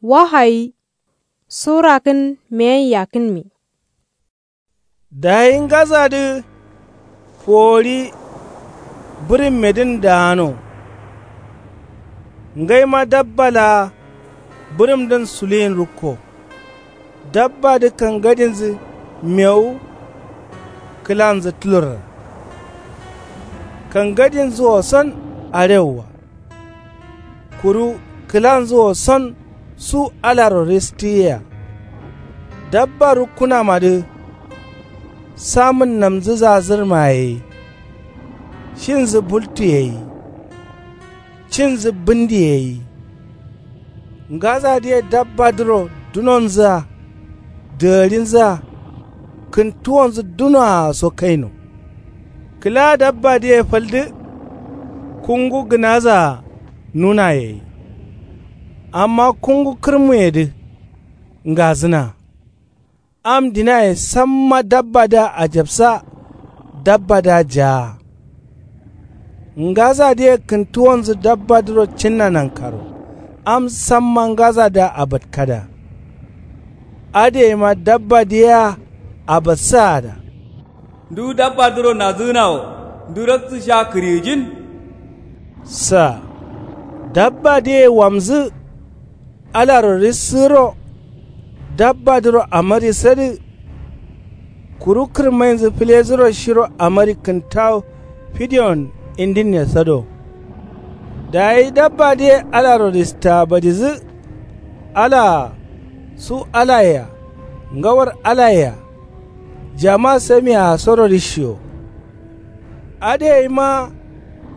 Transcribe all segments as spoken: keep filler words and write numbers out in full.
Wahayi. Sura kǝn meyen yakkǝnmi. Dayi ngaza dǝ fori bǝrǝmmedǝn daano. Ngaima dabba laa bǝrǝmdǝn suluyin rukko. Dabba dǝ kangadinzǝ mewu kǝlanzǝ tulorra. Kangadinzǝ wo san arewwa. Kuru kǝlanzǝ wo san su alaro ristǝyea. Dabba rukkǝnamadǝ samǝnnamzǝ zazǝrmaye gai. Shinzǝ bultuye gai. Cinzǝ bǝndiye gai. Ngazadǝye dabbadǝro dunonzǝa dǝgǝrinzǝa kǝntuwonzǝ dunoa so kaino. Kǝla dabbadǝye faldǝ kungu gǝnazaa nunaye gai. Amma kungu kǝrmuyedǝ ngazǝna. Am dinaye samma dabbadǝa ajabsa. Dabbadǝa jaa. Ngazadǝye kǝntuwonzǝ dabbadǝro cinna nankaro. Am samma ngazadǝa abatkada. Adǝ gaima dabbadǝ yea abatsaada. Ndu dabbadǝro nadzǝgǝna wo ndu raktǝ sha kǝriyijin? Sa. Dabbadǝye wamzǝ alaro rissǝgǝro. Dabbadǝro amari sadǝ. Kuru kǝrmainzǝ fǝlezǝro shiro amari kǝntawu fidiyon indinne sado. Dayi dabbadǝye alaro ristaa badizǝ. Alaa su alayea ngawar alayea jama samiyea soro rishiyo. Adǝ gaima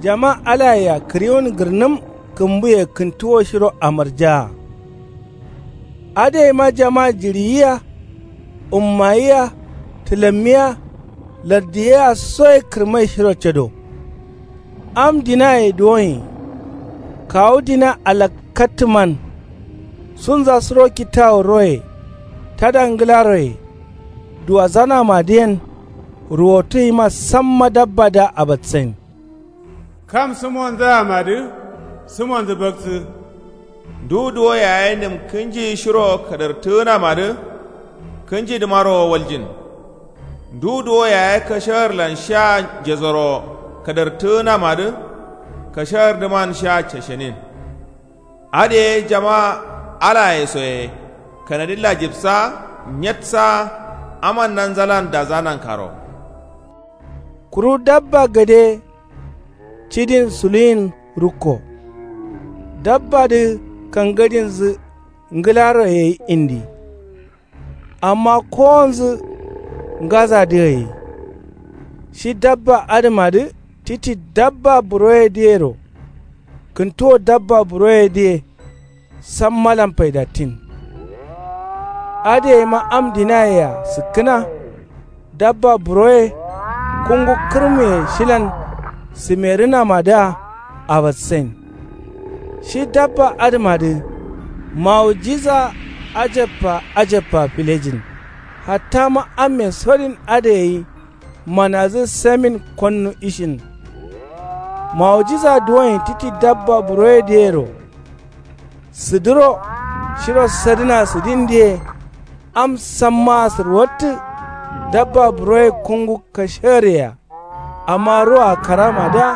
jama alayea kǝriwun gǝrnǝm kǝmbuye kǝntuwo shiro amarjaa. Adǝ gaima jama jiɍiyia ummayia tǝlammiya lardiyea soye kǝrmai shiro cado. Am dinaye duwonyi. Kawu dina alakkattǝman. Sunza suro kittawu roye tada ngǝlaroye duwazanamadǝyen. Ruwotu gaima samma dabbadǝa abatsain. Kam sǝmonzǝamadǝ sǝmonzǝ baktsǝ. Ndu duwo yaye nǝm kǝnji shiro kadartǝgǝnamadǝ kǝnjidǝmaro waljin. Ndu duwo yaye kashagǝrlan sha njesoro kadartǝgǝnamadǝ kashagǝrdǝman sha cashenin. Adǝ ye jama alaye soye kanadǝ lajibsa nyetsa. Aman nanzalan daza nankaro. Kuru dabba gade cidin suluyin rukko. Dabbadǝ kangadinzǝ ngǝlaroye gai indi. Amma kowonzǝ ngazadǝa gai. Shi dabba adǝmadǝ titi dabba buroyedǝyero. Kǝntuwo dabba buroyedǝye sammalan faidattin. Adǝ gaima am dinayea sǝkkǝna. Dabba buroye kungu kǝrmuye shilan sǝmerǝnamadǝa abatsain. Shi dabba adǝmadǝ mawujiza ajabba ajabba filejin. Hattama amme sodin adǝ gai manazǝ samin konnu ishin. Mawujiza duwonyi titi dabba buroyedǝyero. Sǝdǝro shiro sadǝna sǝdindǝye. Am sammaa sǝrwattǝ dabba buroye kungu kashagǝryeya. Amma roa karamadǝa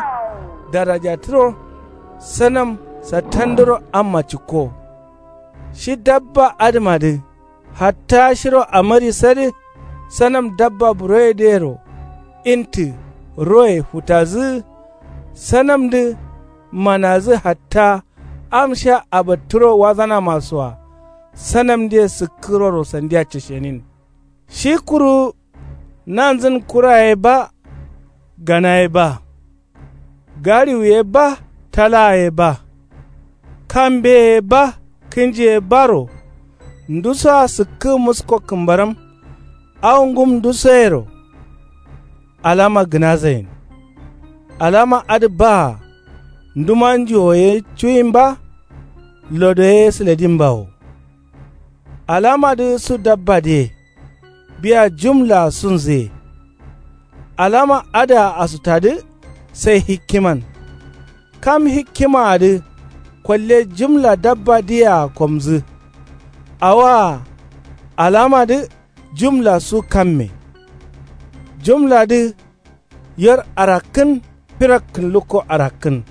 darajatǝro sanam sattandǝro amma cikko. Shi dabba adǝmadǝ hatta shiro amari sadǝ sanam dabba buroyedǝyero. Intǝ roye futazǝgǝ sanamdǝ manazǝ hatta am sha abattǝro wazanamasoa. Sanamdǝye sǝkkǝroro sandia cashenin. Shi kuru nanzǝn kura ye ba gana ye ba gariwu ye ba talaa ye ba kambe ye ba kǝnji ye baro. Ndusoa sǝkkǝ musko kǝmbaram. Awo ngum ndusoyero alama gǝnazain. Alama adǝ baa nduma njuwo ye cuwin ba lodo ye sǝledin bawo. Alamadǝ su dabbadǝye biya jum laa sunzǝye. Alama adǝa asutadǝ sai hikkiman. Kam hikkimaadǝ kolle jumla dabbadǝyea komzǝ. Awoa alamadǝ jumla su kamme. Jumladǝ yer arakkǝn firakkǝn lukko arakkǝn.